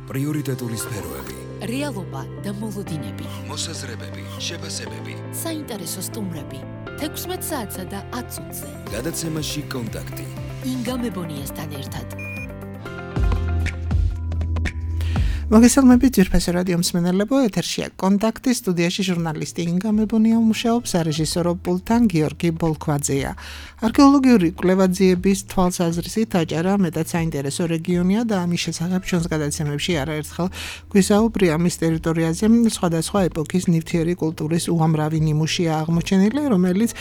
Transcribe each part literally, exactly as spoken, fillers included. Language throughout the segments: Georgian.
პრიორიტეტული სფეროები, რეალობა და მოლოდინები, მოსაზრებები, შეფასებები, საინტერესო სტუმრები, თექვსმეტ საათსა და ათ წუთზე. გადაცემაში კონტაქტი. ინგა მებონიასთან ერთად. მოგესალმებით ძვირფასი რადიო მსმენელებო, ეთერშია კონტაქტი, სტუდიაში ჟურნალისტი ინგა მებონია მუშაობს, სარეჟისორო პულტთან გიორგი ბოლქვაძეა. არქეოლოგიური კვლევაძიების თვალსაზრისით აჭარა მეტად საინტერესო რეგიონია და ამის შესახებ ჩვენს გადაცემებში არაერთხელ გვისაუბრია. მის ტერიტორიაზე სხვადასხვა ეპოქის ნივთიერი კულტურის უამრავი ნიმუშია აღმოჩენილი, რომელიც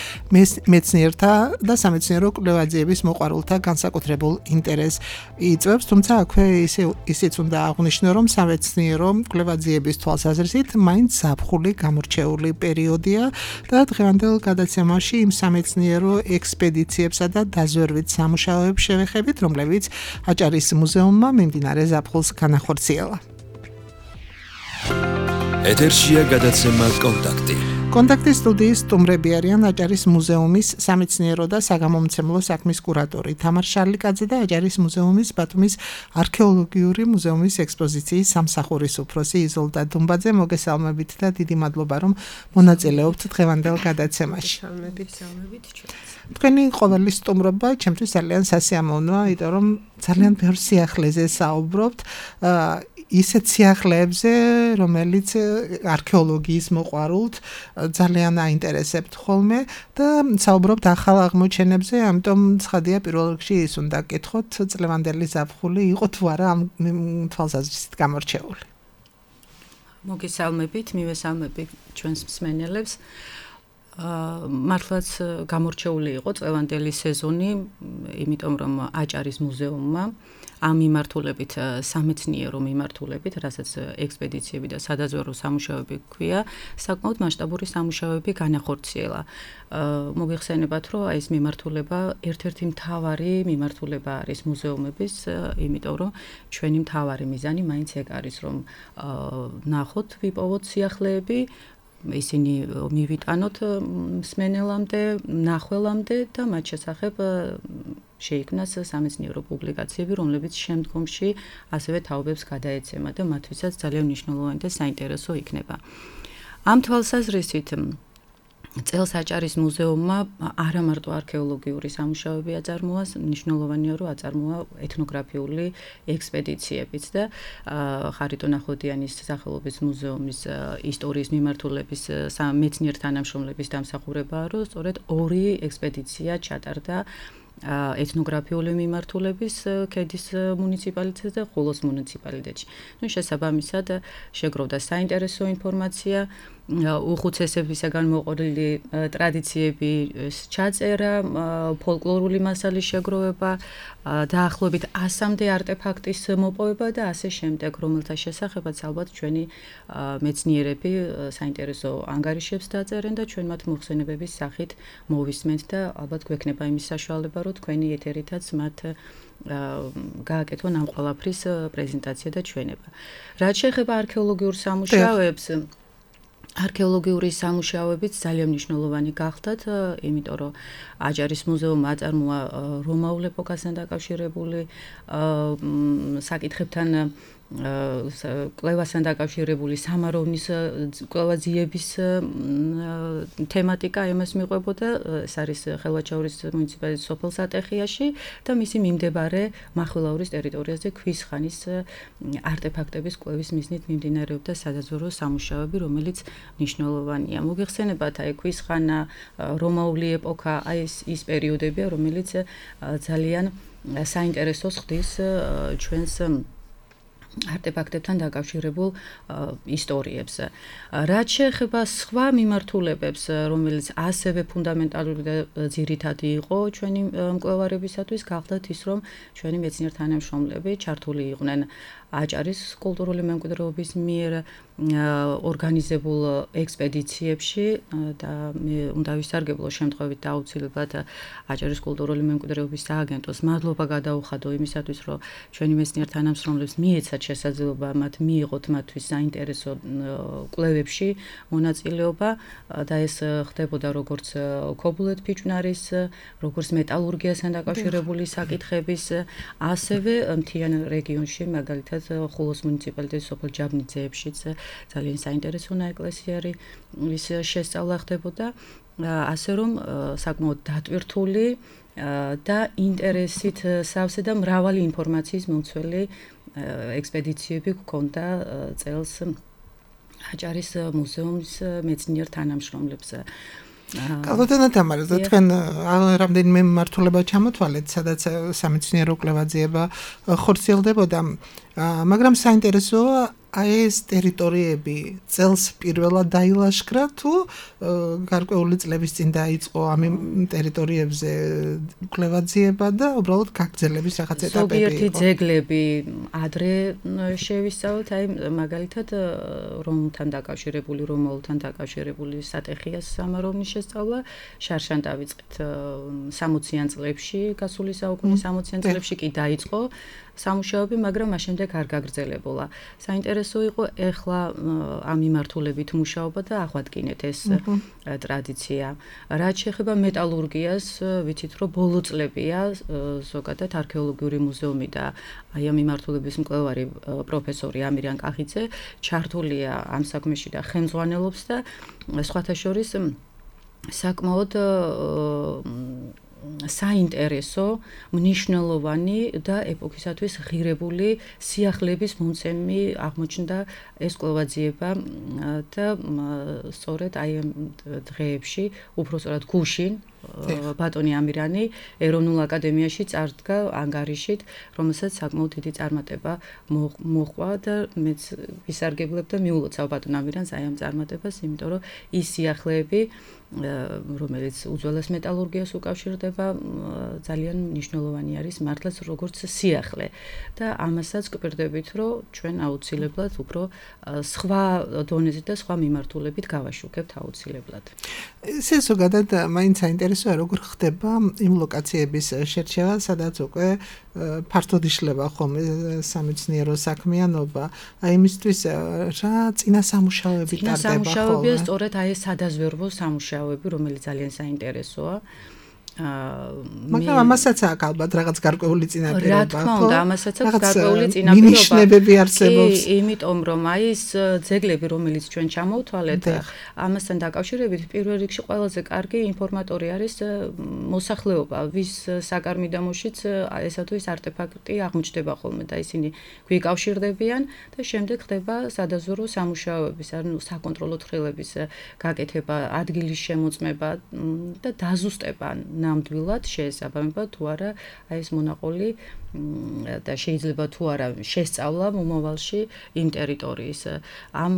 მეცნიერთა და სამეცნიერო კვლევაძიების მოყვარულთა განსაკუთრებულ ინტერესს იწვევს, თუმცა აქვე ისიც უნდა აღვნიშნო, რომ სამეცნიერო კვლევაძიების თვალსაზრისით მაინც ზაფხული გამორჩეული პერიოდია და დღევანდელ გადაცემაში იმ სამეცნიერო ექსპედიციებსა და დაზვერვით სამუშაოებს შევეხებით, რომლებიც აჭარის მუზეუმმა მიმდინარე ზაფხულს განახორციელა. ეთერშია გადაცემა კონტაქტი. კონტაქტის სტუდიის სტუმრები არიან აჭარის მუზეუმის სამეცნიერო და საგამომცემლო საქმის კურატორი თამარ შარლიკაძე და აჭარის მუზეუმის ბათუმის არქეოლოგიური მუზეუმის ექსპოზიციის სამსახურის უფროსი იზოლდა დუმბაძე. მოგესალმებით და დიდი მადლობა, რომ მონაწილეობთ დღევანდელ გადაცემაში. თქვენი ყოველი სტუმრობა ჩემთვის ძალიან სასიამოვნოა, იმიტომ რომ ძალიან ბევრ სიახლეზე საუბრობთ, ისეთ სიახლეებზე, რომელიც არქეოლოგიის მოყვარულთ ძალიან აინტერესებთ ხოლმე და საუბრობთ ახალ აღმოჩენებზე, ამიტომ ცხადია პირველ რიგში ის უნდა გკითხოთ, წლევანდელი ზაფხული იყო თუ არა ამ თვალსაზრისით გამორჩეული. მოგესალმებით, მივესალმებით ჩვენს მსმენელებს. მართლაც გამორჩეული იყო წლევანდელი სეზონი, იმიტომ რომ აჭარის მუზეუმმა ამ მიმართულებით, სამეცნიერო მიმართულებით, რასაც ექსპედიციები და სადაზვერვო სამუშაოები ქვია, საკმაოდ მასშტაბური სამუშაოები განახორციელა. მოგეხსენებათ, რომ ეს მიმართულება ერთ-ერთი მთავარი მიმართულება არის მუზეუმების, იმიტომ რომ ჩვენი მთავარი მიზანი მაინც ეგ არის, რომ ნახოთ, ვიპოვოთ სიახლეები, ისინი მივიტანოთ მსმენელამდე, მნახველამდე და მათ შესახებ შეიქმნას სამეცნიერო პუბლიკაციები, რომლებიც შემდგომში ასევე თაობებს გადაეცემა და მათთვისაც ძალიან მნიშვნელოვანი და საინტერესო იქნება. ამ თვალსაზრისით წელს აჭარის მუზეუმმა არა მარტო არქეოლოგიური სამუშაოები აწარმოა, მნიშვნელოვანია, რომ აწარმოა ეთნოგრაფიული ექსპედიციებიც და ხარიტონ ახვლედიანის სახელობის მუზეუმის ისტორიის მიმართულების მეცნიერ თანამშრომლების დამსახურებაა, რომ სწორედ ორი ექსპედიცია ჩატარდა ეთნოგრაფიული მიმართულების ქედის მუნიციპალიტეტზე და ხულოს მუნიციპალიტეტში. ნუ შესაბამისად შეგროვდა საინტერესო ინფორმაცია, უხუცესებისაგან მოყოლილი ტრადიციები ჩაწერა, ფოლკლორული მასალის შეგროვება, დაახლოებით ასამდე არტეფაქტის მოპოვება და ასე შემდეგ, რომელთა შესახებაც ალბათ ჩვენი მეცნიერები საინტერესო ანგარიშებს დაწერენ და ჩვენ მათ მოხსენებების სახით მოვისმენთ და ალბათ გვექნება იმის საშუალება, რომ თქვენი ეთერითაც მათ გააკეთონ ამ ყველაფრის პრეზენტაცია და ჩვენება. რაც შეეხება არქეოლოგიურ სამუშაოებს, არქეოლოგიური სამუშაოებიც ძალიან მნიშვნელოვანი გახდათ, იმიტომ რომ აჭარის მუზეუმმა აწარმოა რომაულ ეპოქასთან დაკავშირებული საკითხებთან კვლევასთან დაკავშირებული სამაროვნის კვლევაძიების თემატიკა იმას მიყვებოდა, ეს არის ხელვაჩაურის მუნიციპალიტეტის სოფელ სატეხიაში და მისი მიმდებარე მახვილაურის ტერიტორიაზე ქვის ხანის არტეფაქტების კვლევის მიზნით მიმდინარეობდა სადაზვერვო სამუშაოები, რომელიც მნიშვნელოვანია. მოგეხსენებათ, აი ქვის ხანა, რომაული ეპოქა, აი ეს ის პერიოდებია, რომელიც ძალიან საინტერესოს ხდის ჩვენს არტეფაქტებთან დაკავშირებულ ისტორიებს. რაც შეეხება სხვა მიმართულებებს, რომელიც ასევე ფუნდამენტალური და ძირითადი იყო ჩვენი მკვლევარებისათვის, გახდათ ის, რომ ჩვენი მეცნიერ თანამშრომლები ჩართული იყვნენ აჭარის კულტურული მემკვიდრეობის მიერ ორგანიზებულ ექსპედიციებში და მე უნდა ვისარგებლო შემთხვევით და აუცილებლად აჭარის კულტურული მემკვიდრეობის სააგენტოს მადლობა გადაუხადო იმისათვის, რომ ჩვენი მეცნიერ თანამშრომლებს მიეცა შესაძლებლობა მათ მიიღოთ მათთვის საინტერესო კვლევებში მონაწილეობა და ეს ხდებოდა როგორც ქობულეთ ფიჭვნარის, როგორც მეტალურგიასთან დაკავშირებული საკითხების, ასევე მთიან რეგიონში, მაგალითად ხულოს მუნიციპალიტეტის სოფელ ჯაბნიძეებშიც ძალიან საინტერესო ნაეკლესიარი ის შესწავლა ხდებოდა, ასე რომ საკმაოდ დატვირთული და ინტერესით სავსე და მრავალი ინფორმაციის მომცველი ექსპედიციები გქონდა წელს აჭარის მუზეუმის მეცნიერ თანამშრომლებს. კალბატონო თამარა, თქვენ რამდენიმე მმართველობა ჩამოთვალეთ, სადაც სამეცნიერო კვლევა-ძიება ხორციელდებოდა, მაგრამ საინტერესოა აი ეს ტერიტორიები წელს პირველად დაილაშქრა თუ გარკვეული წლების წინ დაიწყო ამ ტერიტორიებზე კვლევა-ძიება და უბრალოდ გაგრძელების რაღაც ეტაპები იყო. ზოგიერთი ძეგლები ადრე შევისწავლეთ, აი მაგალითად რომთან დაკავშირებული, რომაულთან დაკავშირებული სატეხიას სამაროვნის შესწავლა შარშან დავიწყეთ სამოციან წლებში, გასული საუკუნის სამოციან წლებში კი დაიწყო სამუშაოები, მაგრამ მას შემდეგ არ გაგრძელებულა. საინტერესო იყო ეხლა ამ მიმართულებით მუშაობა და აღვადგინეთ ეს ტრადიცია. რაც შეეხება მეტალურგიას, ვიცით რომ ბოლო წლებია ზოგადად არქეოლოგიური მუზეუმი და აი ამ მიმართულების მკვლევარი პროფესორი ამირან კახიძე ჩართულია ამ საქმეში და ხელმძღვანელობს და სხვათა შორის საკმაოდ საინტერესო, მნიშვნელოვანი და ეპოქისათვის ღირებული სიახლეების მომცემი აღმოჩნდა ეს კვლევა-ძიება და სწორედ აი ამ დღეებში, უბრალოდ გუშინ ბატონი ამირანი ეროვნულ აკადემიაში წარდგა ანგარიშით, რომელსაც საკმაოდ დიდი წარმატება მოჰყვა და მეც ვისარგებლებ და მიულოცავ ბატონ ამირანს აი ამ წარმატებას, იმიტომ რომ ის სიახლეები რომელიც უძველეს მეტალურგიას უკავშირდება, ძალიან მნიშვნელოვანი არის მართლაც როგორც სიახლე და ამასაც გვპირდებით, რომ ჩვენ აუცილებლად უფრო სხვა დონეზე და სხვა მიმართულებით გავაშუქებთ აუცილებლად. ესე ზოგადად მაინც საინტერესოა, როგორ ხდება იმ ლოკაციების შერჩევა, სადაც უკვე ფართოდ იშლება ხოლმე სამეცნიერო საქმიანობა. აი იმისთვის რა წინა სამუშაოები ტარდება ხოლმე. წინა სამუშაოებია სწორედ აი ეს სადაზვერვო სამუშაოები, რომელიც ძალიან საინტერესოა. მაგრამ ამასაც აქვს ალბათ რაღაც გარკვეული წინაპირობა. რა თქმა უნდა, ამასაც აქვს გარკვეული წინაპირობა. მინიშნებები არსებობს. კი, იმიტომ რომ აი ეს ძეგლები, რომელიც ჩვენ ჩამოვთვალეთ, ამასთან დაკავშირებით პირველ რიგში ყველაზე კარგი ინფორმატორი არის მოსახლეობა, ვის საკარმიდამოშიც ესა თუ ის არტეფაქტი აღმოჩნდება ხოლმე და ისინი გვიკავშირდებიან და შემდეგ ხდება სადაზვერვო სამუშაოების, ანუ საკონტროლო ცხრილების გაკეთება, ადგილის შემოწმება და დაზუსტება ნამდვილად შეესაბამება თუ არა აი ეს მონაყოლი და შეიძლება თუ არა შესწავლა მომავალში იმ ტერიტორიის. ამ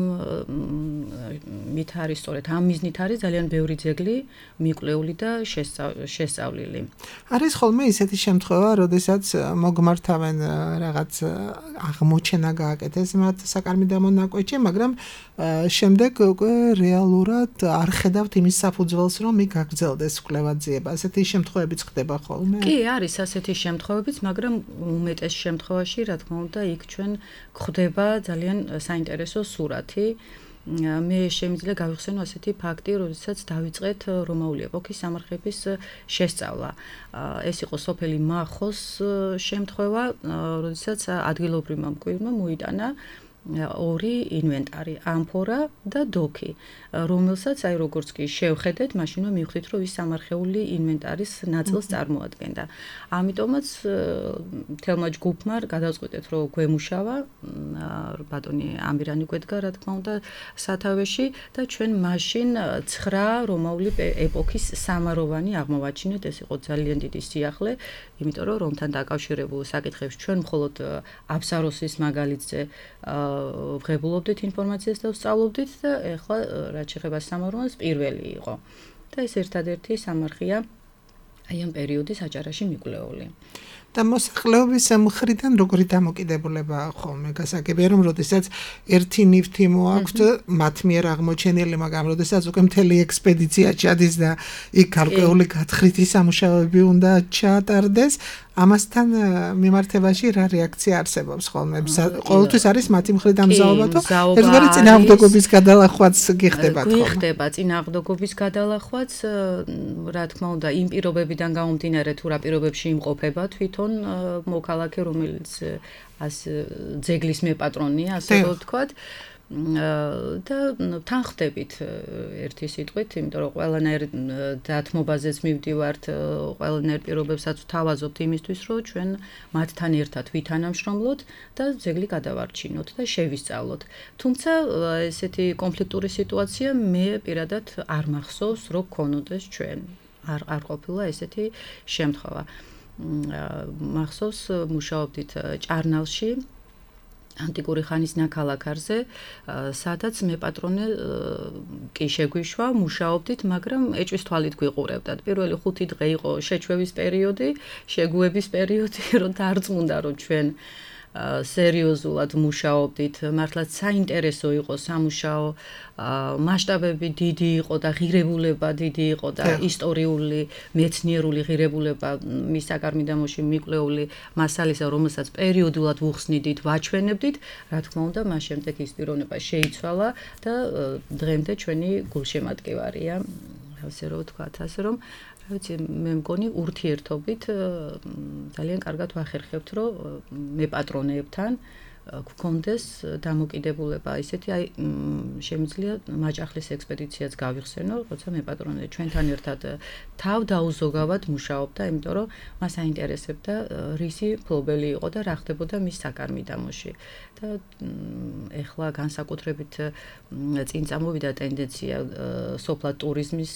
მით არის სწორედ ამ მიზნით არის ძალიან ბევრი ძეგლი მიკვლეული და შესწავლილი. არის ხოლმე ისეთი შემთხვევა, როდესაც მოგმართავენ რაღაც აღმოჩენა გააკეთეს მათ საკარმიდამო ნაკვეთში, მაგრამ შემდეგ უკვე რეალურად არ ხედავთ იმის საფუძველს, რომ იქ გაგრძელდეს კვლევა-ძიება. ასეთი შემთხვევებიც ხდება ხოლმე? კი, არის ასეთი შემთხვევებიც, მაგრამ უმეტეს შემთხვევაში, რა თქმა უნდა, იქ ჩვენ გვხვდება ძალიან საინტერესო სურათი. მე შემიძლია გავიხსენო ასეთი ფაქტი, როდესაც დავიწყეთ რომაული ეპოქის სამარხების შესწავლა. ეს იყო სოფელი მახოს შემთხვევა, როდესაც ადგილობრივმა მკვიდრმა მოიტანა ორი ინვენტარი, ამფორა და დოქი, რომელსაც აი როგორც კი შევხედეთ, მაშინვე მივხვდით, რომ ის სამარხეული ინვენტარის ნაწილს წარმოადგენდა. ამიტომაც თელმა ჯგუფმა გადავწყვიტეთ, რომ გვემუშავა, ბატონი ამირანი გვედგა, რა თქმა უნდა, სათავეში და ჩვენ მაშინ ცხრა რომაული ეპოქის სამაროვანი აღმოვაჩინეთ, ეს იყო ძალიან დიდი სიახლე, იმიტომ რომ რომთან დაკავშირებულ საკითხებს ჩვენ მხოლოდ აბსაროსის მაგალითზე ვღებულობდით ინფორმაციას და ვსწავლობდით და ეხლა რაც შეეხება სამაროვანს პირველი იყო. და ეს ერთადერთი სამარხია აი ამ პერიოდის აჭარაში მიკვლეული. და მოსახლეობის მხრიდან როგორი დამოკიდებულება ხოლმე გასაგებია, რომ როდესაც ერთი ნივთი მოაქვთ მათ მიერ აღმოჩენილი, მაგრამ როდესაც უკვე მთელი ექსპედიცია ჩადის და იქ გარკვეული გათხრითი სამუშაოები უნდა ჩაატარდეს, ამასთან მიმართებაში რა რეაქცია არსებობს ხოლმე? ყოველთვის არის მათი მხრიდან მზაობა თუ ერთგვარი წინააღმდეგობის გადალახვაც გიხდებათ ხოლმე? გიხდება წინააღმდეგობის გადალახვაც, რა თქმა უნდა, იმ პირობებიდან გამომდინარე თუ რა პირობებში იმყოფება თვითონ მოქალაქე, რომელიც ას ძეგლის მეპატრონია, ასე ვთქვათ. და თან ხდებით ერთი სიტყვით, იმიტომ რომ ყველანაირ დათმობაზეც მივდივართ, ყველანაირ პირობებსაც ვთავაზობთ იმისთვის, რომ ჩვენ მათთან ერთად ვითანამშრომლოთ და ძეგლი გადავარჩინოთ და შევისწავლოთ. თუმცა ესეთი კონფლიქტური სიტუაცია მე პირადად არ მახსოვს, რომ გქონოდეს ჩვენ. არ არ ყოფილა ესეთი შემთხვევა. მახსოვს მუშაობდით ჭარნალში ანტიკური ხანის ნაქალაქარზე, სადაც მეპატრონე კი შეგვიშვა, მუშაობდით, მაგრამ ეჭვის თვალით გვიყურებდათ. პირველი ხუთი დღე იყო შეჩვევის პერიოდი, შეგუების პერიოდი, რომ დარწმუნდა, რომ ჩვენ სერიოზულად მუშაობდით, მართლაც საინტერესო იყო სამუშაო, მასშტაბები დიდი იყო და ღირებულება დიდი იყო და ისტორიული, მეცნიერული ღირებულება მის საკარმიდამოში მიკვლეული მასალისა, რომელსაც პერიოდულად ვუხსნიდით, ვაჩვენებდით, რა თქმა უნდა, მას შემდეგ ის პიროვნება შეიცვალა და დღემდე ჩვენი გულშემატკივარია, ასე რომ ვთქვათ, ასე რომ ვიცი, მე მგონი ურთიერთობით ძალიან კარგად ვახერხებთ, რომ მეპატრონეებთან გქონდეს დამოკიდებულება ისეთი, აი შემიძლია მაჭახლის ექსპედიციაც გავიხსენო, როცა მეპატრონე ჩვენთან ერთად თავ დაუზოგავად მუშაობდა, იმიტომ რომ მას აინტერესებდა რისი ფლობელი იყო და რა ხდებოდა მის საკარმიდამოში. და ეხლა განსაკუთრებით წინ წამოვიდა ტენდენცია სოფლად ტურიზმის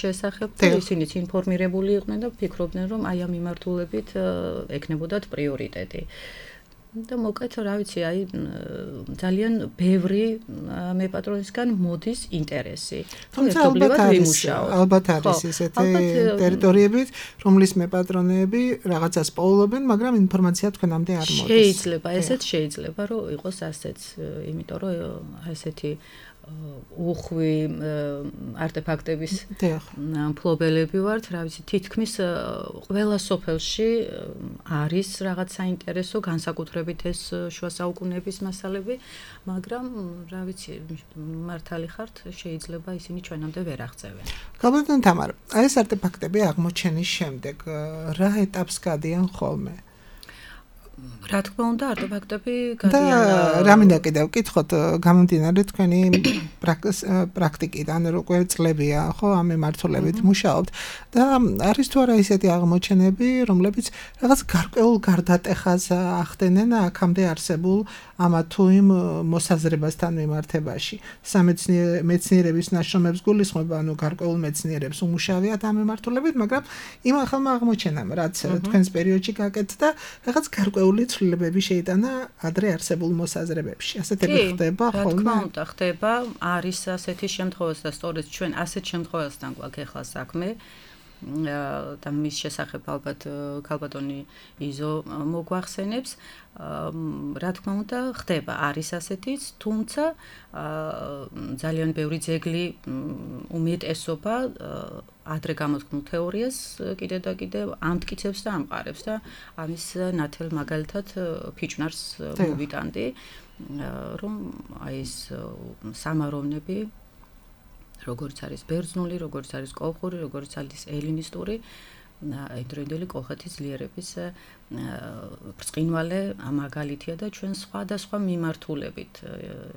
შესახებ და ისინიც ინფორმირებული იყვნენ და ფიქრობდნენ, რომ აი ამ მიმართულებით ექნებოდათ პრიორიტეტი. და მოკეთ, რა ვიცი, აი ძალიან ბევრი მეპატრონისგან მოდის ინტერესი. თუმცა ალბათ არის, ალბათ არის ესეთი ტერიტორიები, რომლის მეპატრონეები რაღაცას პოულობენ, მაგრამ ინფორმაცია თქვენამდე არ მოდის. შეიძლება, ესეც შეიძლება, რომ იყოს ასეც, იმიტომ რომ ესეთი უხვი არტეფაქტების მფლობელები ვართ, რა ვიცი, თითქმის ყველა სოფელში არის რაღაც საინტერესო, განსაკუთრებით ეს შუა საუკუნეების მასალები, მაგრამ რა ვიცი, მართალი ხართ, შეიძლება ისინი ჩვენამდე ვერ აღწევენ. გაბატონ თამარ, აი ეს არტეფაქტები აღმოჩენის შემდეგ რა ეტაპს გადიან ხოლმე? რა თქმა უნდა, არტეფაქტები გადიან და რა მინდა კიდევ ვკითხოთ, გამომდინარე თქვენი პრაქტიკიდან, უკვე წლებია, ხო, ამ მიმართულებით მუშაობთ და არის თუ არა ისეთი აღმოჩენები, რომლებიც რაღაც გარკვეულ გარდატეხას ახდენენ აქამდე არსებულ ამა თუ იმ მოსაზრებასთან მიმართებაში. სამეცნიერების ნაშრომებს გულისხმობა, ანუ გარკვეულ მეცნიერებს უმუშავიათ ამ მიმართულებით, მაგრამ იმ ახალმა აღმოჩენამ, რაც თქვენს პერიოდში გაკეთდა, რაღაც გარკვეული ცვლილებები შეიტანა ადრე არსებულ მოსაზრებებში. ასეთები ხდება ხოლმე? რა თქმა უნდა, ხდება, არის ასეთი შემთხვევაც და სწორედ ჩვენ ასეთ შემთხვევასთან გვაქვს ახლა საქმე. და მის შესახებ ალბათ ქალბატონი იზო მოგვახსენებს. რა თქმა უნდა, ხდება, არის ასეთიც, თუმცა ძალიან ბევრი ძეგლი უმეტესობა ადრე გამოთქმულ თეორიას კიდე და კიდე ამტკიცებს და ამყარებს და ამის ნათელ მაგალითად ფიჭვნარს მოვიტანდი, რომ აი ეს სამაროვნები როგორც არის ბერძნული, როგორც არის კოლხური, როგორც არის ელინისტური, იმდროინდელი კოლხეთის ძლიერების ბრწყინვალე მაგალითია და ჩვენ სხვადასხვა მიმართულებით,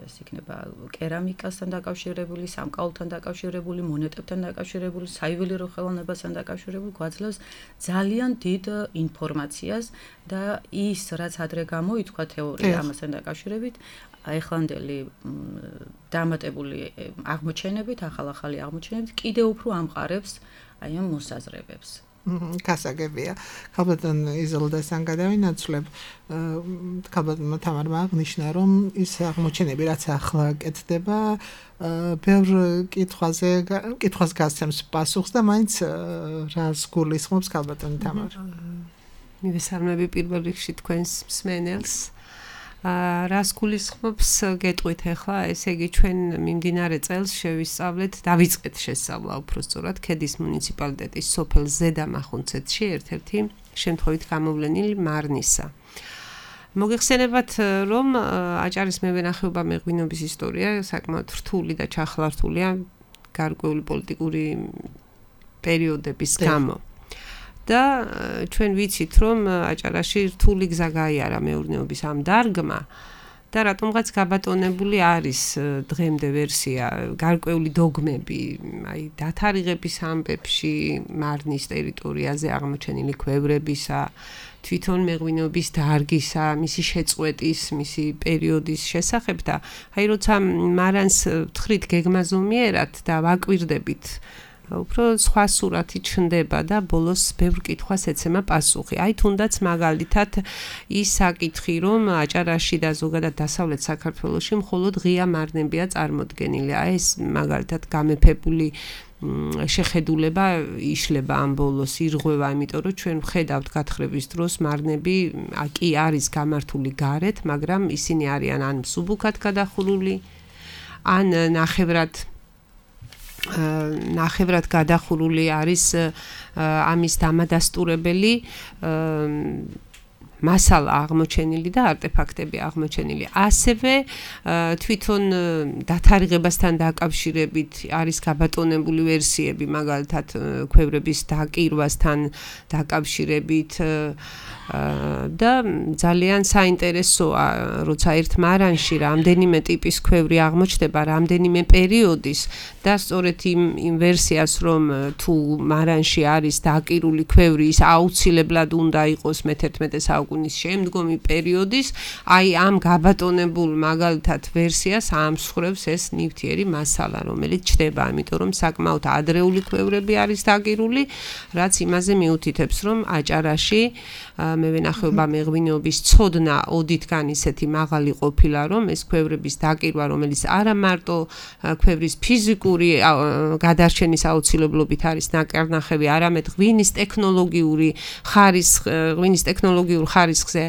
ეს იქნება კერამიკასთან დაკავშირებული, სამკაულთან დაკავშირებული, მონეტებთან დაკავშირებული, საიუველირო ხელოვნებასთან დაკავშირებული, გვაძლევს ძალიან დიდ ინფორმაციას და ის, რაც ადრე გამოითქვა თეორია ამასთან დაკავშირებით, ეხლანდელი დამატებული აღმოჩენებით, ახალ-ახალი აღმოჩენებით კიდევ უფრო ამყარებს აი ამ მოსაზრებებს. გასაგებია. ქალბატონ იზოლდასთან გადავინაცვლებ, ქალბატონ თამარმა აღნიშნა, რომ ის აღმოჩენები, რაც ახლა კეთდება, ბევრ კითხვაზე, კითხვას გასცემს პასუხს და მაინც რას გულისხმობს ქალბატონ თამარ? მივესალმები პირველ რიგში თქვენს მსმენელს. რას გულისხმობს გეტყვით ახლა, ესე იგი ჩვენ მიმდინარე წელს შევისწავლეთ, დავიწყეთ შესწავლა უფრო სწორად ქედის მუნიციპალიტეტის სოფელ ზედამახუნცეთში ერთ-ერთი შემთხვევით გამოვლენილი მარნისა. მოგეხსენებათ, რომ აჭარის მევენახეობა მეღვინობის ისტორია საკმაოდ რთული და ჩახლართულია გარკვეული პოლიტიკური პერიოდების გამო. და ჩვენ ვიცით, რომ აჭარაში რთული გზა გაიარა მეურნეობის ამ დარგმა და რატომღაც გაბატონებული არის დღემდე ვერსია გარკვეული დოგმები, აი დათარიღების ამბებში, მარნის ტერიტორიაზე აღმოჩენილი ქვევრებისა, თვითონ მეღვინეობის დარგისა, მისი შეწყვეტის, მისი პერიოდის შესახებ და აი როცა მარანს ვთხრით გეგმაზომიერად და ვაკვირდებით, უფრო სხვა სურათი ჩნდება და ბოლოს ბევრ კითხვას ეცემა პასუხი. აი თუნდაც მაგალითად ის საკითხი, რომ აჭარაში და ზოგადად დასავლეთ საქართველოში მხოლოდ ღია მარნებია წარმოდგენილი. აი ეს მაგალითად გამეფებული შეხედულება იშლება ამ ბოლოს ირღვევა, იმიტომ რომ ჩვენ ვხედავთ გათხრების დროს მარნები კი არის გამართული გარეთ, მაგრამ ისინი არიან ან მსუბუქად გადახურული, ან ნახევრად ნახევრად გადახურული არის ამის დამადასტურებელი მასალა აღმოჩენილი და არტეფაქტები აღმოჩენილი. ასევე თვითონ დათარიღებასთან დაკავშირებით არის გაბატონებული ვერსიები, მაგალითად ქვევრების დაკირვასთან დაკავშირებით და ძალიან საინტერესოა, როცა ერთ მარანში რამდენიმე ტიპის ქვევრი აღმოჩნდება, რამდენიმე პერიოდის და სწორედ იმ იმ ვერსიას, რომ თუ მარანში არის დაკირული ქვევრი, ის აუცილებლად უნდა იყოს მეთერთმეტე საუკუნის შემდგომი პერიოდის, აი ამ გაბატონებულ მაგალითად ვერსიას ამსხვრევს ეს ნივთიერი მასალა, რომელიც ჩნდება, ამიტომ რომ საკმაოდ ადრეული ქვევრები არის დაკირული, რაც იმაზე მიუთითებს, რომ აჭარაში მევენახეობა მეღვინეობის ცოდნა ოდითგან ისეთი მაღალი ყოფილა, რომ ეს ქვევრების დაკირვა, რომელიც არა მარტო ქვევრის ფიზიკური გადარჩენის აუცილებლობით არის ნაკარნახევი, არამედ ღვინის ტექნოლოგიური ხარისხ, ღვინის ტექნოლოგიურ ხარისხზე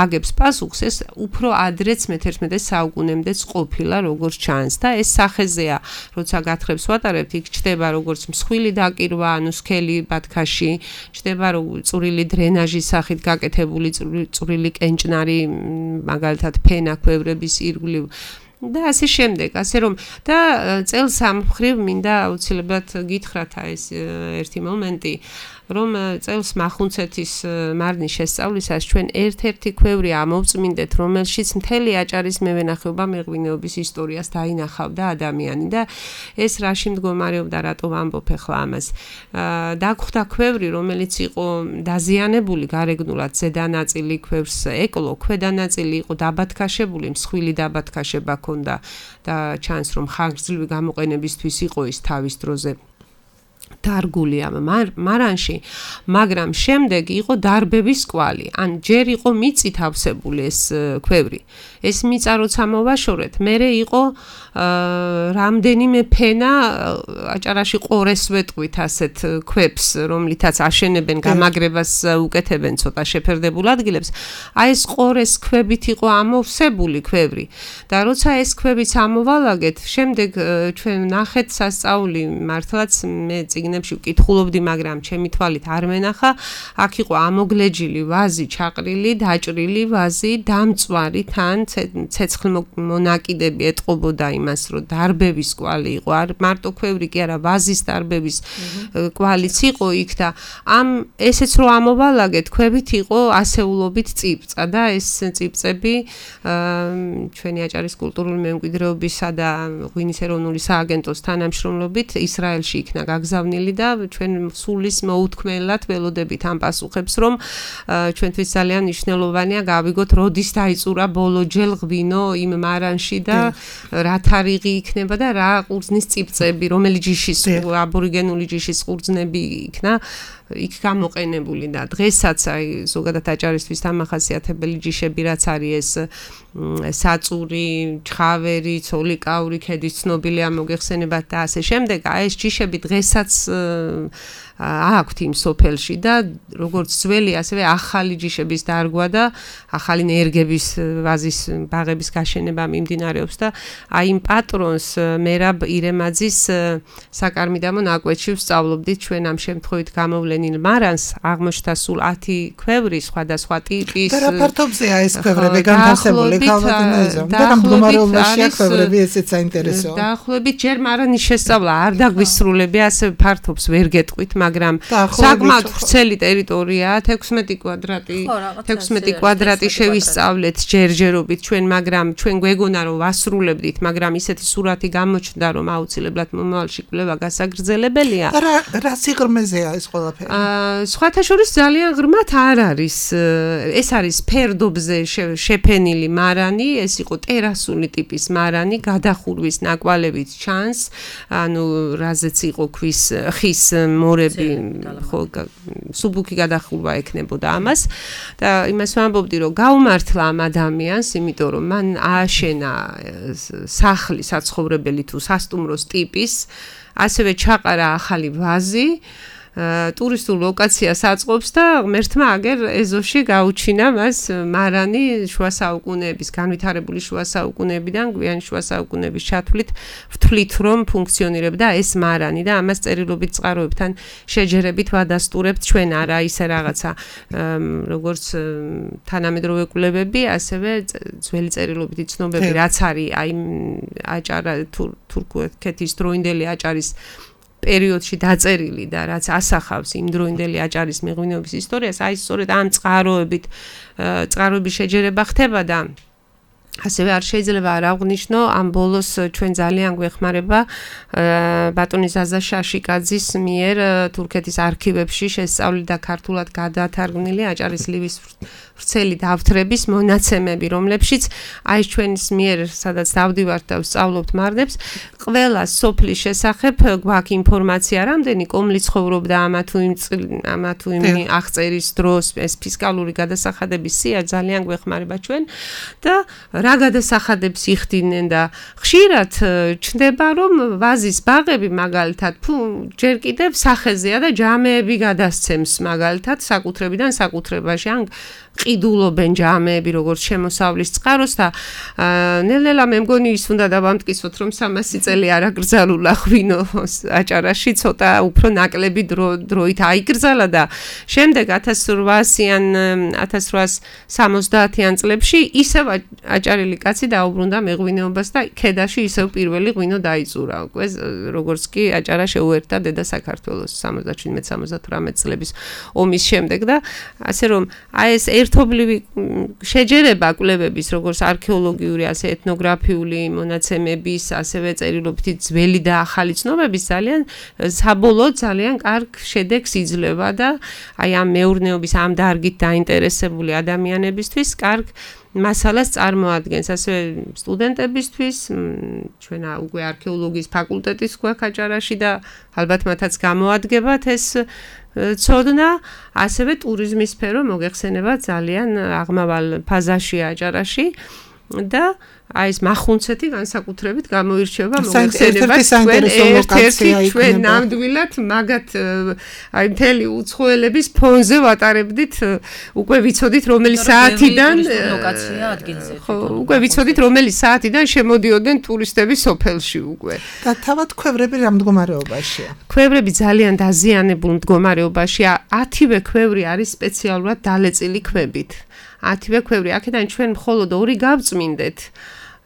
აგებს პასუხს, ეს უფრო ადრეც მეთერთმეტე საუკუნემდეც ყოფილა, როგორც ჩანს და ეს სახეზეა, როცა გათხრებს ვატარებთ, იქ ჩნდება როგორც მსხვილი დაკირვა, ანუ სქელი ბათქაში, ჩნდება წვრილი დრენაჟის სახით გაკეთებული წვრილი კენჭნარი, მაგალითად ფენა ქვევრების ირგვლივ და ასე შემდეგ, ასე რომ და წელს ამ მხრივ მინდა აუცილებლად გითხრათ ეს ერთი მომენტი, რომ წელს მახუნცეთის მარნის შესწავლისას ჩვენ ერთ-ერთი ქვევრი ამოვწმინდეთ, რომელშიც მთელი აჭარის მევენახეობა მეღვინეობის ისტორიას დაინახავდა ადამიანი და ეს რაში მდგომარეობდა, რატო ვამბობ ახლა ამას. დაგხვდა ქვევრი, რომელიც იყო დაზიანებული გარეგნულად, ზედა ნაწილი ქვევრს ეკლო, ქვედა ნაწილი იყო დაბათქაშებული, მსხვილი დაბათქაშება ჰქონდა და ჩანს რომ ხანგრძლივი გამოყენებისთვის იყო ის თავის დროზე დარგული ამ მარანში, მაგრამ შემდეგ იყო დარბების კვალი, ან ჯერ იყო მიწით ავსებული ეს ქვევრი. ეს მიწა როცა მოვაშორეთ, მერე იყო რამდენიმე ფენა აჭარაში ყორეს ვეტყვით ასეთ ქვებს, რომლითაც აშენებენ, გამაგრებას უკეთებენ ცოტა შეფერდებულ ადგილებს. აი ეს ყორეს ქვებით იყო ამოვსებული ქვევრი და როცა ეს ქვებიც ამოვალაგეთ, შემდეგ ჩვენ ნახეთ სასწაული, მართლაც მე წიგნებში ვკითხულობდი, მაგრამ ჩემი თვალით არ მენახა, აქ იყო ამოგლეჯილი ვაზი, ჩაყრილი, დაჭრილი ვაზი, დამწვარი თან ცეცხლ მონაკიდები ეტყობოდა იმას, რომ დარბების კვალი იყო, არ მარტო ქვევრი კი არა, ვაზის დარბების კვალიც იყო იქ და ამ ესეც რო ამოვალაგეთ, ქვევით იყო ასეულობით წიბწა და ეს წიბწები ჩვენი აჭარის კულტურული მემკვიდრეობისა და ღვინის ეროვნული სააგენტოს თანამშრომლობით ისრაელში იქნა გაგზავნილი და ჩვენ სულის მოუთქმელად ველოდებით ამ პასუხებს, რომ ჩვენთვის ძალიან მნიშვნელოვანია გავიგოთ, როდის დაიწურა ბოლოჯერ ღვინო იმ მარანში და რა თარიღი იქნება და რა ყურძნის წიბწები, რომელი ჯიშის აბორიგენული ჯიშის ყურძნები იქნა იქ გამოყენებული და დღესაც აი ზოგადად აჭარისთვის დამახასიათებელი ჯიშები რაც არის ეს საწური, ჩხავერი, ცოლიკაური ქედის ცნობილია მოგეხსენებათ და ასე შემდეგ, აი ეს ჯიშები დღესაც აქვთ იმ სოფელში და როგორც ძველი, ასევე ახალი ჯიშების დარგვა და ახალი ნერგების ვაზის ბაღების გაშენება მიმდინარეობს და აი იმ პატრონს მერაბ ირემაძის საკარმიდამო ნაკვეთში ვსწავლობდით ჩვენ ამ შემთხვევით გამოვლენილ მარანს აღმოჩნდა სულ ათი ქვევრი სხვადასხვა ტიპის და რა ფართობზეა ეს ქვევრები განთავსებული ქალბატონოზე და რა მდგომარეობაშია ქვევრები ესეც საინტერესოა დაახლოებით ჯერ მარანის შესწავლა არ დაგვისრულები ასე ფართობს ვერ გეტყვით მაგრამ საკმაოდ ვრცელი ტერიტორიაა თექვსმეტი კვადრატი თექვსმეტი კვადრატი შევისწავლეთ ჯერჯერობით ჩვენ მაგრამ ჩვენ გვეგონა რომ ვასრულებდით მაგრამ ისეთი სურათი გამოჩნდა რომ აუცილებლად მომავალში კვლევა გასაგრძელებელია რა რა სიღრმეზეა ეს ყველაფერი აა სხვათა შორის ძალიან ღრმად არ არის ეს არის ფერდობზე შეფენილი მარანი ეს იყო ტერასული ტიპის მარანი გადახურვის ნაკვალევით ჩანს ანუ რაზეც იყო ქვის ხის მორები ხო სუბუქი გადახურვა ექნებოდა ამას და იმას ვამბობდი რომ გაუმართლა ამ ადამიანს იმიტომ რომ მან ააშენა სახლი საცხოვრებელი თუ სასტუმროს ტიპის ასევე ჩაყარა ახალი ვაზი ტურისტულ ლოკაციას აწყობს და ღმერთმა აგერ ეზოში გაუჩინა მას მარანი შუა საუკუნეების განვითარებული შუა საუკუნეებიდან გვიანი შუა საუკუნეების ჩათვლით ვთვლით რომ ფუნქციონირებდა ეს მარანი და ამას წერილობით წყაროებთან შეჯერებით ვადასტურებთ ჩვენ არა ისე რაღაცა როგორც თანამედროვე კვლევები ასევე ძველი წერილობითი ცნობები რაც არის აი აჭარა თურქეთის დროინდელი აჭარის პერიოდში დაწერილი და რაც ასახავს იმ დროინდელი აჭარის მეღვინეობის ისტორიას, აი სწორედ ამ წყაროებით წყაროების შეჯერება ხდება და ასევე არ შეიძლება არ აღვნიშნო ამ ბოლოს ჩვენ ძალიან გვეხმარება ბატონი ზაზა შაშიკაძის მიერ თურქეთის არქივებში შესწავლილი და ქართულად გადათარგმნილი აჭარის ლივის ვრცელი დავთრების მონაცემები, რომლებშიც აი ჩვენის მიერ სადაც დავდივართ და ვსწავლობთ მარნებს, ყველა სოფლის შესახებ გვაქვს ინფორმაცია, რამდენი კომლი ცხოვრობდა ამა თუ იმ ამა თუ იმ აღწერის დროს, ეს ფისკალური გადასახადების სია ძალიან გვეხმარება ჩვენ და რა გადასახადებს იხდიდნენ და ხშირად ჩნდება რომ ვაზის ბაღები მაგალითად თუ ჯერ კიდევ სახეზეა და ჯამეები გადასცემს მაგალითად საკუთრებიდან საკუთრებაში ან ყიდულობენ ჯამეები როგორც შემოსავლის წყაროს და ნელ-ნელა მე მგონი ის უნდა დავამტკიცოთ რომ სამასი წელი არ აკრძალულა ღვინო აჭარაში ცოტა უფრო ნაკლები დროით აიკრძალა და შემდეგ ათას რვაასიან ათას რვაას სამოცდაათიან წლებში ისევ აჭარელი კაცი დაუბრუნდა მეღვინეობას და ქედაში ისევ პირველი ღვინო დაიწურა უკვე როგორც კი აჭარა შეუერთდა დედა საქართველოს სამოცდაჩვიდმეტ სამოცდათვრამეტ წლების ომის შემდეგ და ასე რომ აი ეს ერთობლივი შეჯერება კვლევების როგორც არქეოლოგიური ასე ეთნოგრაფიული მონაცემების ასევე წერილობითი ძველი და ახალი ცნობების ძალიან საბოლოოდ ძალიან კარგ შედეგს იძლევა და აი ამ მეურნეობის ამ დარგით დაინტერესებული ადამიანებისთვის კარგ მასალას წარმოადგენს ასევე სტუდენტებისთვის ჩვენ უკვე არქეოლოგიის ფაკულტეტის გვაქვს აჭარაში და ალბათ მათაც გამოადგებათ ეს ცოდნა ასევე ტურიზმის სფერო მოგეხსენება ძალიან აღმავალ ფაზაშია აჭარაში და აი ეს მახუნცეთი განსაკუთრებით გამოირჩევა მოგეხსენება ჩვენ ერთ-ერთი ჩვენ ნამდვილად მაგათ აი მთელი უცხოელების ფონზე ვატარებდით უკვე ვიცოდით რომელი საათიდან ლოკაცია ადგილზე ხო უკვე ვიცოდით რომელი საათიდან შემოდიოდნენ ტურისტები სოფელში უკვე და თავად ქვევრები რა მდგომარეობაშია ქვევრები ძალიან დაზიანებულ მდგომარეობაშია ათივე ქვევრი არის სპეციალურად დალეწილი ქვებით ათივე ქვევრი აქედან ჩვენ მხოლოდ ორი გავწმინდეთ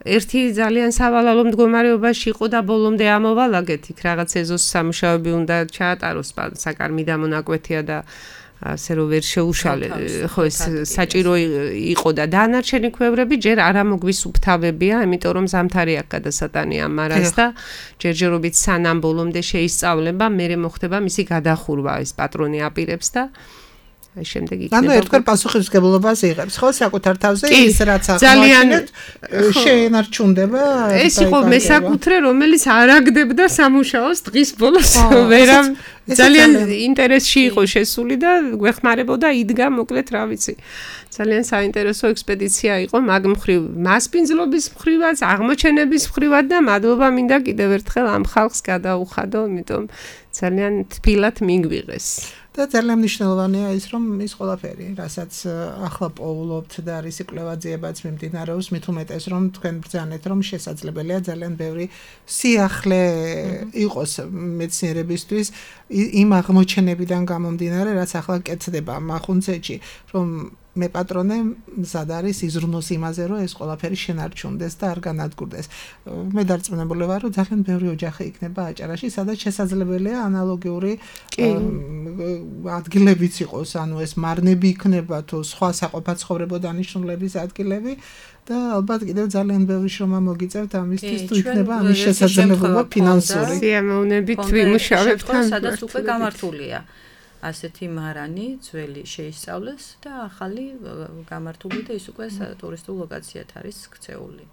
ერთი ძალიან სავალალო მდგომარეობაში იყო და ბოლომდე ამოვალაგეთ იქ რაღაც ეზოს სამუშაოები უნდა ჩაატაროს საკარმიდამო ნაკვეთია და ასე რომ ვერ შეუშალე ხო ეს საჭირო იყო და დანარჩენი ქვევრები ჯერ არ ამოგვისუფთავებია იმიტომ რომ ზამთარი აქ გადასატანია მარას და ჯერჯერობით სანამ ბოლომდე შეისწავლება მერე მოხდება მისი გადახურვა ეს პატრონი აპირებს და შემდეგ იქნება. ანუ ერთგვარ პასუხისმგებლობას იღებს, ხო, საკუთარ თავზე ის რაც ახმოაჩინეთ, შეენარჩუნდება. ეს იყო მესაკუთრე, რომელიც არ აგდებდა სამუშაოს დღის ბოლოს. ვერა ძალიან ინტერესში იყო შესული და გვეხმარებოდა იდგა, მოკლედ რა ვიცი. ძალიან საინტერესო ექსპედიცია იყო მაგ მხრივ, მასპინძლობის მხრივაც, აღმოჩენების მხრივაც და მადლობა მინდა კიდევ ერთხელ ამ ხალხს გადაუხადო, იმიტომ ძალიან თბილად მიგვიღეს. და ძალიან მნიშვნელოვანია ის, რომ ის ყველაფერი, რასაც ახლა პოულობთ და რის კვლევაძიებაც მიმდინარეობს, მით უმეტეს, რომ თქვენ ბრძანეთ, რომ შესაძლებელია ძალიან ბევრი სიახლე იყოს მეცნიერებისთვის იმ აღმოჩენებიდან გამომდინარე, რაც ახლა კეთდება მახუნცეთში, რომ მე პატრონე მზად არის იზრუნოს იმაზე, რომ ეს ყველაფერი შენარჩუნდეს და არ განადგურდეს. მე დარწმუნებული ვარ, რომ ძალიან ბევრი ოჯახი იქნება აჭარაში, სადაც შესაძლებელია ანალოგიური ადგილებიც იყოს, ანუ ეს მარნები იქნება თუ სხვა საყოფაცხოვრებო დანიშნულების ადგილები და ალბათ კიდევ ძალიან ბევრი შრომა მოგიწევთ ამისთვის, თუ იქნება ამის შესაძლებლობა ფინანსური. სიამოვნებით ვიმუშავებთ, სადაც უკვე გამართულია. ასეთი მარანი ძველი შეისწავლეს და ახალი გამართული და ის უკვე ტურისტულ ლოკაციად არის ქცეული.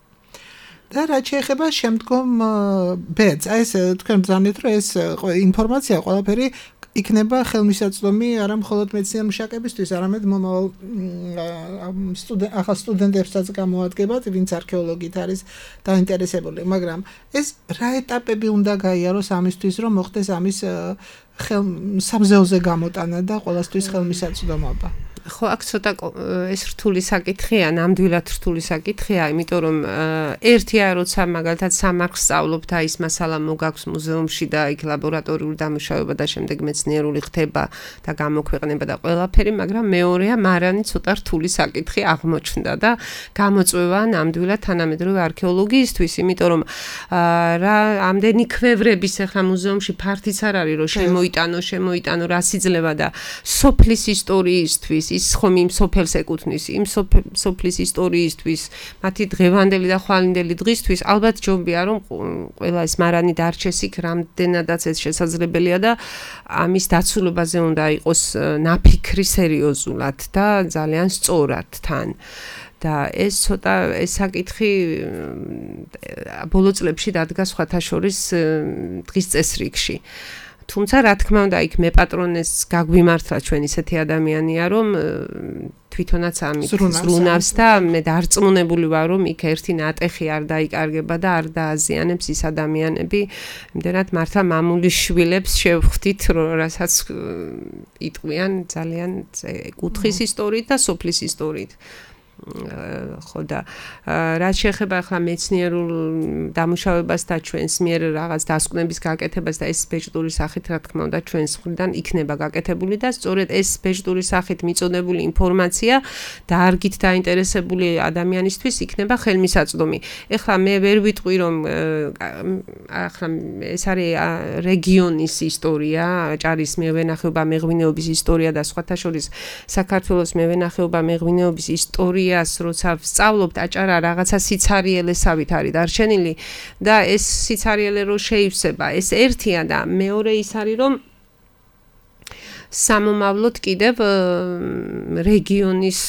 და რაც შეეხება შემდგომ ბედს, აი ეს თქვენ ბრძანეთ, რომ ეს ინფორმაცია ყველაფერი იქნება ხელმისაწვდომი არა მხოლოდ მეცნიერ მუშაკებისთვის, არამედ მომავალ ახალ სტუდენტებსაც გამოადგებათ, ვინც არქეოლოგიით არის დაინტერესებული, მაგრამ ეს რა ეტაპები უნდა გაიაროს ამისთვის, რომ მოხდეს ამის ხელ სამზეოზე გამოტანა და ყველასთვის ხელმისაწვდომობა. ხო, აქ ცოტა ეს რთული საკითხია, ნამდვილად რთული საკითხია, იმიტომ რომ ერთია, როცა მაგალითად სამარხს სწავლობ და ის მასალა მოგაქვს მუზეუმში და იქ ლაბორატორიული დამუშავება და შემდეგ მეცნიერული ხდება და გამოქვეყნება და ყველაფერი, მაგრამ მეორეა, მარანი ცოტა რთული საკითხი აღმოჩნდა და გამოწვევა ნამდვილად თანამედროვე არქეოლოგიისთვის, იმიტომ რომ რა ამდენი ქვევრების ახლა მუზეუმში ფართიც არ არის, რომ შემოიტანო, შემოიტანო რას იძლევა და სოფლის ისტორიისთვის ის ხომ იმ სოფელს ეკუთვნის, იმ სოფლის ისტორიისთვის, მათი დღევანდელი და ხვალინდელი დღისთვის, ალბათ ჯობია, რომ ყველა ეს მარანი დარჩეს იქ, რამდენადაც ეს შესაძლებელია და ამის დაცულობაზე უნდა იყოს ნაფიქრი სერიოზულად და ძალიან სწორად თან. და ეს ცოტა ეს საკითხი ბოლო წლებში დადგა სხვათა შორის დღის წესრიგში. თუმცა რა თქმა უნდა იქ მე პატრონეს გაგვიმართლა ჩვენ ისეთი ადამიანია რომ თვითონაც ამით ზრუნავს და მე დარწმუნებული ვარ რომ იქ ერთი ნატეხი არ დაიკარგება და არ დააზიანებს ის ადამიანები იმდენად მართლა მამული შვილებს შევხვდით რასაც იტყვიან ძალიან კუთხის ისტორიით და სოფლის ისტორიით ხო და რაც შეეხება ახლა მეცნიერულ დამუშავებას და ჩვენს მიერ რაღაც დასკვნების გაკეთებას და ეს ბეჭდური სახით რა თქმა უნდა ჩვენს მხრიდან იქნება გაკეთებული და სწორედ ეს ბეჭდური სახით მიწოდებული ინფორმაცია დარგით დაინტერესებული ადამიანისთვის იქნება ხელმისაწვდომი. ეხლა მე ვერ ვიტყვი რომ ახლა ეს არის რეგიონის ისტორია, აჭარის მევენახეობა მეღვინეობის ისტორია და სხვათა შორის საქართველოს მევენახეობა მეღვინეობის ისტორია როცა ვსწავლობთ აჭარა რაღაცა სიცარიელესავით არის დარჩენილი და ეს სიცარიელე რო შეივსება ეს ერთია და მეორე ის არის რომ სამომავლოდ კიდევ რეგიონის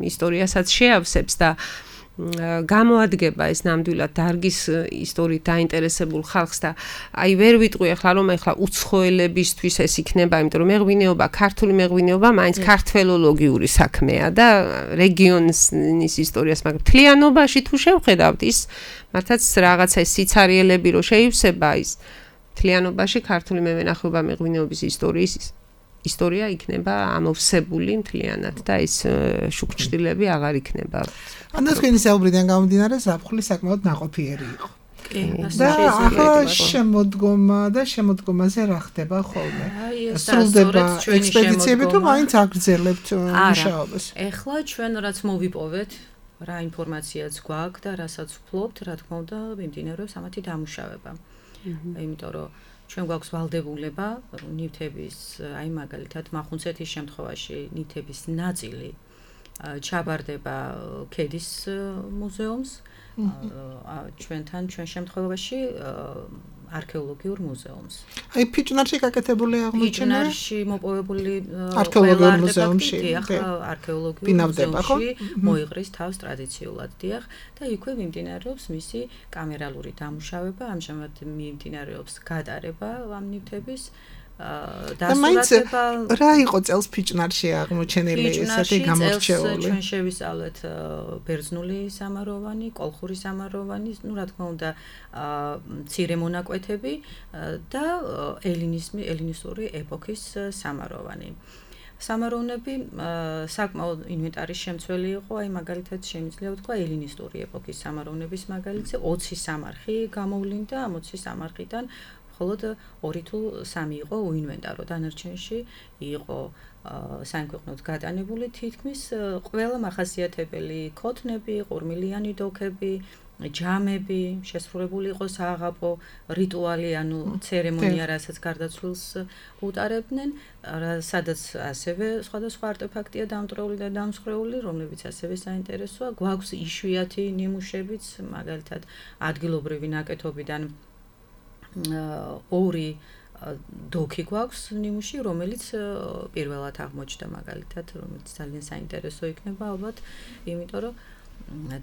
ისტორიასაც შეავსებს და გამოადგება ეს ნამდვილად დარგის ისტორიით დაინტერესებულ ხალხს და აი ვერ ვიტყვი ახლა რომ ახლა უცხოელებისთვის ეს იქნება, იმიტომ რომ მეღვინეობა, ქართული მეღვინეობა მაინც ქართველოლოგიური საქმეა და რეგიონის ისტორიას, მაგრამ მთლიანობაში თუ შევხედავთ ის მართლაც რაღაცა სიცარიელები რო შეივსება ის მთლიანობაში ქართული მევენახეობა მეღვინეობის ისტორიის ისტორია იქნება ამოვსებული მთლიანად და ეს შუქჭდილები აღარ იქნება. ანუ თქვენი საუბრიდან გამომდინარე ზაფხული საკმაოდ ნაყოფიერი იყო. და ახლა შემოდგომა და შემოდგომაზე რა ხდება ხოლმე? სრულდება ექსპედიციები თუ მაინც აგრძელებთ მუშაობას? ეხლა ჩვენ რაც მოვიპოვეთ, რა ინფორმაციაც გვაქვს და რასაც ვფლობთ, რა თქმა უნდა, მიმდინარეობს ამათი დამუშავება. იმიტომ რომ ჩვენ გვაქვს ვალდებულება ნივთების, აი მაგალითად მახუნცეთის შემთხვევაში ნივთების ნაწილი ჩაბარდება ქედის მუზეუმს, ჩვენთან ჩვენ შემთხვევაში არქეოლოგიურ მუზეუმს. აი ფიჭნარში გაკეთებული აღმოჩენა ფიჭნარში მოპოვებული არქეოლოგიურ მუზეუმში, დიახ, არქეოლოგიურ ბინავდება, ხო? მუზეუმში მოიღრის თავს ტრადიციულად, დიახ, და იქვე მიმდინარეობს მისი კამერალური დამუშავება, ამჟამად მიმდინარეობს გატარება ამ ნივთების და მაინც რა იყო წელს ფიჭნარში აღმოჩენილი ესეთი გამორჩეული? ჩვენ შევისწავლეთ ბერძნული სამაროვანი, კოლხური სამაროვანი, ну, რა თქმა უნდა, მცირე მონაკვეთები და ელინიზმი, ელინისტური ეპოქის სამაროვანი. სამაროვნები საკმაოდ ინვენტარის შემცველი იყო, აი მაგალითად შემიძლია ვთქვა ელინისტური ეპოქის სამაროვნების მაგალითზე ოცი სამარხი გამოვლინდა, ამ ოცი სამარხიდან მხოლოდ ორი თუ სამი იყო უინვენტარო, დანარჩენში იყო საინქვეყნოდ გატანებული თითქმის ყველა მახასიათებელი ქოთნები, ყურმილიანი დოქები, ჯამები, შესრულებული იყო სააღაპო რიტუალი, ანუ ცერემონია, რასაც გარდაცვლილს უტარებდნენ, სადაც ასევე სხვადასხვა არტეფაქტია დამტვრეული და დამსხვრეული, რომლებიც ასევე საინტერესოა. გვაქვს იშვიათი ნიმუშებიც, მაგალითად ადგილობრივი ნაკეთობიდან ორი დოქი გვაქვს ნიმუში, რომელიც პირველად აღმოჩნდა მაგალითად, რომელიც ძალიან საინტერესო იქნება ალბათ, იმიტომ რომ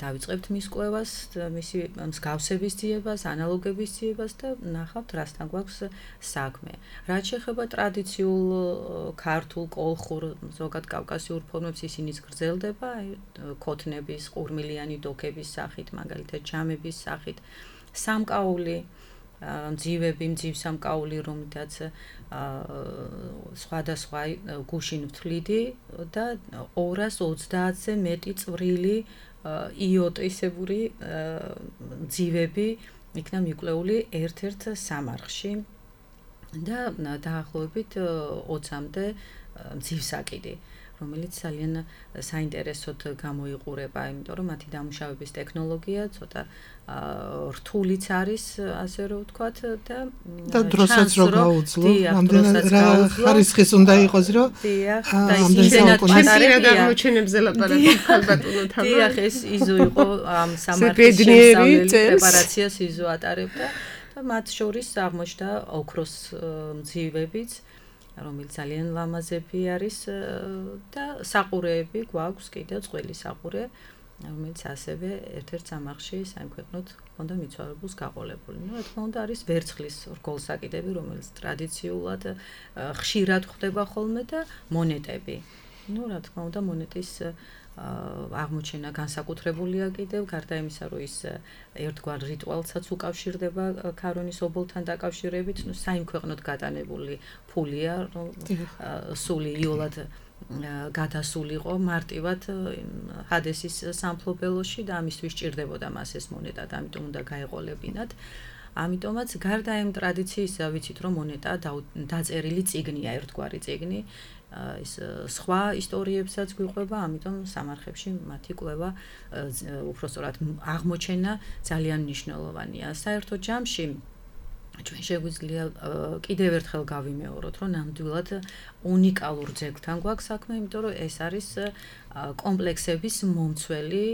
დავიწყებთ მის კვლევას, მისი მსგავსების ძიებას, ანალოგების ძიებას და ნახავთ, რასთან გვაქვს საქმე. რაც შეეხება ტრადიციულ ქართულ, კოლხურ, ზოგად კავკასიურ ფორმებს, ისინიც გრძელდება, ქოთნების, ყურმილიანი დოქების სახით, მაგალითად ჯამების სახით, სამკაული მძივები, მძივსამკაული, რომლითაც სხვადასხვა გუშინ ვთვლიდი და ორას ოცდაათზე მეტი წვრილი იოტისებური მძივები იქნა მიკვლეული ერთ-ერთ სამარხში და დაახლოებით ოცამდე მძივსაკიდი, რომელიც ძალიან საინტერესოდ გამოიყურება, იმიტომ რომ მათი დამუშავების ტექნოლოგია ცოტა რთულიც არის, ასე რომ ვთქვათ, და და დროსაც რო გაუძლო, ამდენად რა ხარისხის უნდა იყოს, რომ დიახ, და ისინი პატარა აღმოჩენებზე ლაპარაკობთ ხალბატონო თან. დიახ, ეს იზო იყო ამ სამარხის შესწავლელი პრეპარაციას იზო ატარებდა და მათ შორის აღმოჩნდა ოქროს მძივებიც, რომელიც ძალიან ლამაზები არის და საყურეები გვაქვს კიდევ წყვილი საყურე, რომელიც ასევე ერთ-ერთ სამარხში საინქვეყნოდ ჰქონდა მიცვალებულს გაყოლებული. Ну, რა თქმა უნდა, არის ვერცხლის რგოლსაკიდები, რომელიც ტრადიციულად ხშირად ხდება ხოლმე და მონეტები. Ну, რა თქმა უნდა, მონეტის აღმოჩენა განსაკუთრებულია კიდევ, გარდა იმისა, რომ ის ერთგვარ რიტუალსაც უკავშირდება ქარონის ობოლთან დაკავშირებით, ну, საინქვეყნოდ გატანებული ფულია, რომ სული იოლად გადასულიყო მარტივად ჰადესის სამფლობელოში და ამისთვის სჭირდებოდა მას ეს მონეტა და ამიტომ უნდა გაეყოლებინათ. ამიტომაც გარდა იმ ტრადიციისა, ვიცით რომ მონეტა დაწერილი წიგნია, ერთგვარი წიგნი, ის სხვა ისტორიებსაც გვიყვება, ამიტომ სამარხებში მათი კვლევა, უпростоრად აღმოჩენა ძალიან მნიშვნელოვანია. საერთო ჯამში ჩვენ შეგვიძლია კიდევ ერთხელ გავიმეოროთ, რომ ნამდვილად უნიკალურ ძეგლთან გვაქვს საქმე, იმიტომ რომ ეს არის კომპლექსების მომცველი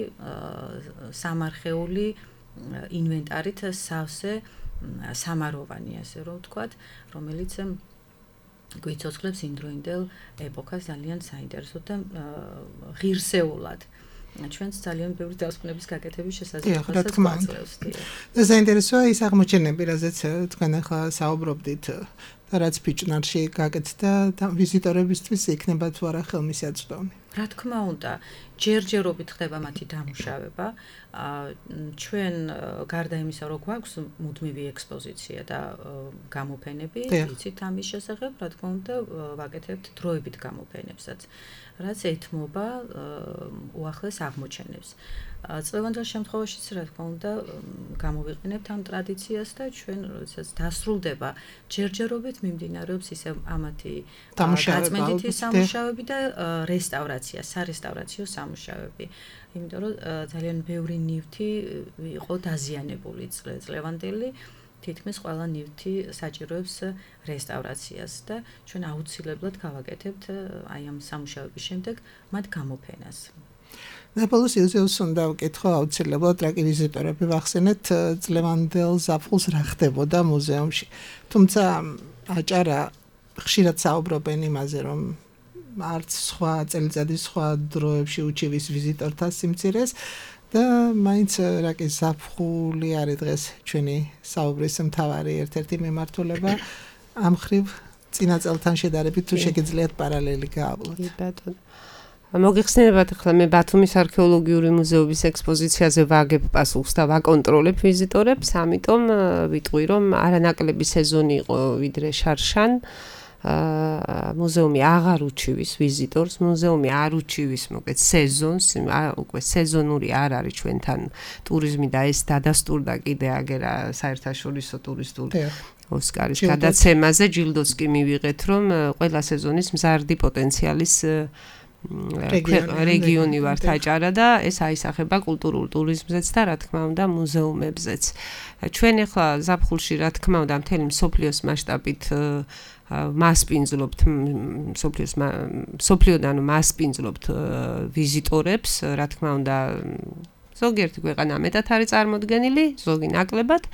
სამარხეული ინვენტარით სავსე სამაროვანი, ასე რომ ვთქვათ, რომელიც გვიცოცხლებს იმდროინდელ ეპოქას ძალიან საინტერესოდ და ღირსეულად. ჩვენც ძალიან ბევრი დასკვნების გაკეთების შესაძლებლობასაც გვაძლევს. და საინტერესოა ის აღმოჩენები, რაზეც თქვენ ახლა საუბრობდით და რაც ფიჭნარში გაკეთდა და ვიზიტორებისთვის იქნება თუ არა ხელმისაწვდომი. რა თქმა უნდა, ჯერჯერობით ხდება მათი დამუშავება. ჩვენ გარდა იმისა, რომ გვაქვს მუდმივი ექსპოზიცია და გამოფენები, ვიცით ამის შესახებ, რა თქმა უნდა, ვაკეთებთ დროებით გამოფენებსაც, რაც ეთმობა უახლეს აღმოჩენებს. წლევანდელ შემთხვევაშიც, რა თქმა უნდა, გამოვიყენებთ ამ ტრადიციას და ჩვენ, როდესაც დასრულდება, ჯერჯერობით მიმდინარეობს ისე ამათი გაწმენდითი სამუშაოები და რესტავრაცია, სარესტავრაციო სამუშაოები. იმიტომ რომ ძალიან ბევრი ნივთი იყო დაზიანებული წლევანდელი, თითქმის ყველა ნივთი საჭიროებს რესტავრაციას და ჩვენ აუცილებლად გავაკეთებთ აი ამ სამუშაოების შემდეგ მათ გამოფენას. ნეაპოლის იუზეუმს უნდა ვკითხო აუცილებლად რა კი ვიზიტორები ვახსენეთ წლევანდელ ზაფხულს რა ხდებოდა მუზეუმში. თუმცა აჭარა ხშირად საუბრობენ იმაზე, რომ არც სხვა წელიწადის სხვა დროებში უჩივის ვიზიტორთა სიმცირეს და მაინც რა კი ზაფხული არის დღეს ჩვენი საუბრის მთავარი ერთ-ერთი მიმართულება ამ ხრივ წინა წელთან შედარებით თუ შეგიძლიათ პარალელი გაავლოთ. კი ბატონო. მოგიხსენებათ ახლა მე ბათუმის არქეოლოგიური მუზეუმის ექსპოზიციაზე ვაგებ პასუხს და ვაკონტროლებ ვიზიტორებს, ამიტომ ვიტყვი რომ არანაკლები სეზონი იყო ვიდრე შარშან. მუზეუმი აღარ უჩივის ვიზიტორს, მუზეუმი არ უჩივის მოკეთ სეზონს, უკვე სეზონური არ არის ჩვენთან ტურიზმი და ეს დადასტურდა კიდე აგერა საერთაშორისო ტურისტული ოსკარის გადაცემაზე, ჯილდოც კი მივიღეთ რომ ყველა სეზონის მზარდი პოტენციალის რეგიონი ვართ აჭარა და ეს აისახება კულტურულ ტურიზმზეც და რა თქმა უნდა მუზეუმებზეც. ჩვენ ახლა ზაფხულში რა თქმა უნდა მთელი მსოფლიოს მასშტაბით მასპინძლობთ მსოფლიოს მსოფლიოდან მასპინძლობთ ვიზიტორებს, რა თქმა უნდა ზოგიერთი ქვეყანა მეტად არის წარმოდგენილი, ზოგი ნაკლებად.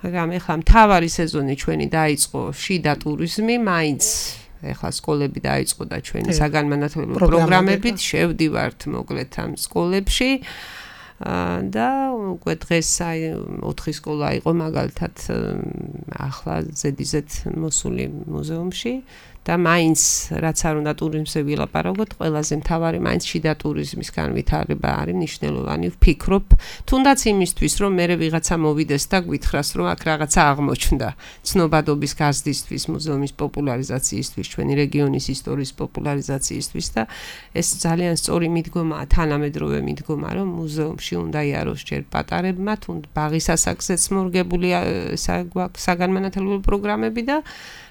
მაგრამ ახლა მთავარი სეზონი ჩვენი დაიწყო შიდა ტურიზმი, მაინც ეხლა სკოლები დაიწყო და ჩვენი საგანმანათლებლო პროგრამებით შევდივართ მოკლედ ამ სკოლებში და უკვე დღეს აი ოთხი სკოლა იყო მაგალითად ახლა ზედიზედ მოსული მუზეუმში და მაინც რაც არ უნდა ტურიზმზე ვილაპარაკოთ, ყველაზე მთავარი მაინც შიდა ტურიზმის განვითარება არის მნიშვნელოვანი. ვფიქრობ, თუნდაც იმისთვის, რომ მე ვიღაცა მოვიდეს და გვითხრას, რომ აქ რაღაცა აღმოჩნდა, ცნობადობის გაზრდისთვის, მუზეუმის პოპულარიზაციისთვის, ჩვენი რეგიონის ისტორიის პოპულარიზაციისთვის და ეს ძალიან სწორი მიდგომაა, თანამედროვე მიდგომა, რომ მუზეუმში უნდა იაროს ჯერ პატარებმა, თუნდაც ბაღის ასაკზეც მორგებული საგანმანათლებლო პროგრამები და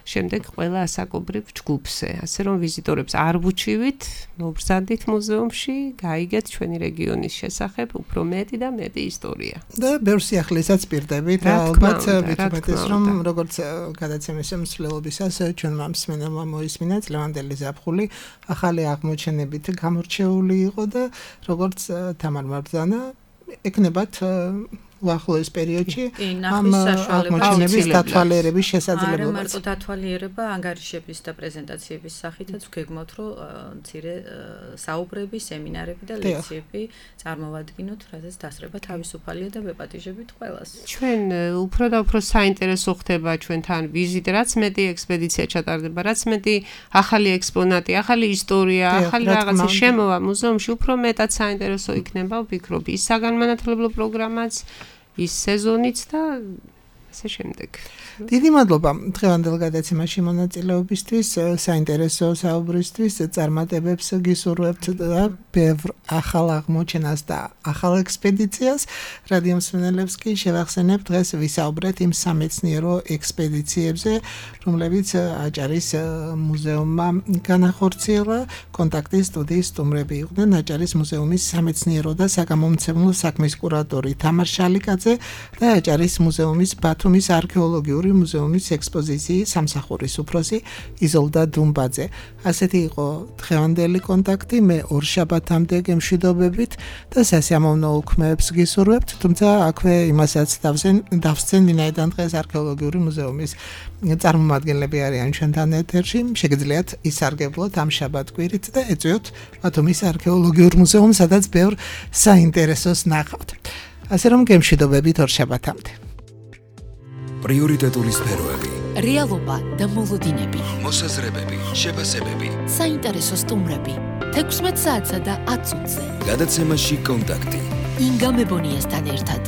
შემდეგ ყველა ასაკობრივ ჯგუფზე. ასე რომ ვიზიტორებს არ ვუჩივით, მობრძანდით მუზეუმში, გაიგეთ ჩვენი რეგიონის შესახებ უფრო მეტი და მეტი ისტორია. და ბევრ სიახლესაც პირდებით, ალბათ ვიტყვეს რომ როგორც გადაცემის მსვლელობისას ჩვენმა მსმენელმა მოისმინა წლევანდელი ზაფხული ახალი აღმოჩენებით გამორჩეული იყო და როგორც თამარ მარბრძანა ეკნებათ უახლოეს პერიოდში ამ აღმოჩენების დათვალიერების შესაძლებლობაც. არა მარტო დათვალიერება, ანგარიშების და პრეზენტაციების სახითაც გეგმავთ, რომ მცირე საუბრები, სემინარები და ლექციები წარმოვადგინოთ, რადგან დასწრება თავისუფალია და ვეპატიჟებით ყველას. ჩვენ უფრო და უფრო საინტერესო ხდება ჩვენთან ვიზიტ, რაც მეტი ექსპედიცია ჩატარდება, რაც მეტი ახალი ექსპონატი, ახალი ისტორია, ახალი რაღაცა შემოვა მუზეუმში, უფრო მეტად საინტერესო იქნება, ვფიქრობ, ის საგანმანათლებლო პროგრამაც ის სეზონიც და ასე შემდეგ. დიდი მადლობა დღევანდელ გადაცემაში მონაწილეობისთვის, საინტერესო საუბრისთვის, წარმატებებს გისურვებთ და ბევრ ახალ აღმოჩენას და ახალ ექსპედიციას. რადიო მსმენელებს კი შევახსენებ დღეს ვისაუბრეთ იმ სამეცნიერო ექსპედიციებზე, რომლებიც აჭარის მუზეუმმა განახორციელა. კონტაქტის სტუდიის სტუმრები იყვნენ აჭარის მუზეუმის სამეცნიერო და საგამომცემლო საქმის კურატორი თამარ შალიკაძე და აჭარის მუზეუმის ბათუმის არქეოლოგიური მუზეუმის ექსპოზიციის სამსახურის უფროსი იზოლდა დუმბაძე. ასეთი იყო დღევანდელი კონტაქტი. მე ორ შაბათამდე გემშვიდობებით და სასიამოვნო უქმეებს გისურვებთ, თუმცა აქვე იმასაც დავსცენ, ვინაიდან დღეს არქეოლოგიური მუზეუმის წარმომადგენლები არიან ჩვენთან ეთერში. შეგიძლიათ ისარგებლოთ ამ შაბათ-კვირით და ეწვიოთ ბათუმის არქეოლოგიურ მუზეუმს, სადაც ბევრ საინტერესოს ნახავთ. ასე რომ გემშვიდობებით ორ შაბათამდე. პრიორიტეტული სფეროები, რეალობა და მოლოდინები, მოსაზრებები, შეფასებები, საინტერესო სტუმრები, თექვსმეტ საათსა და ათ წუთზე. გადაცემაში კონტაქტი. ინგა მებონიასთან ერთად.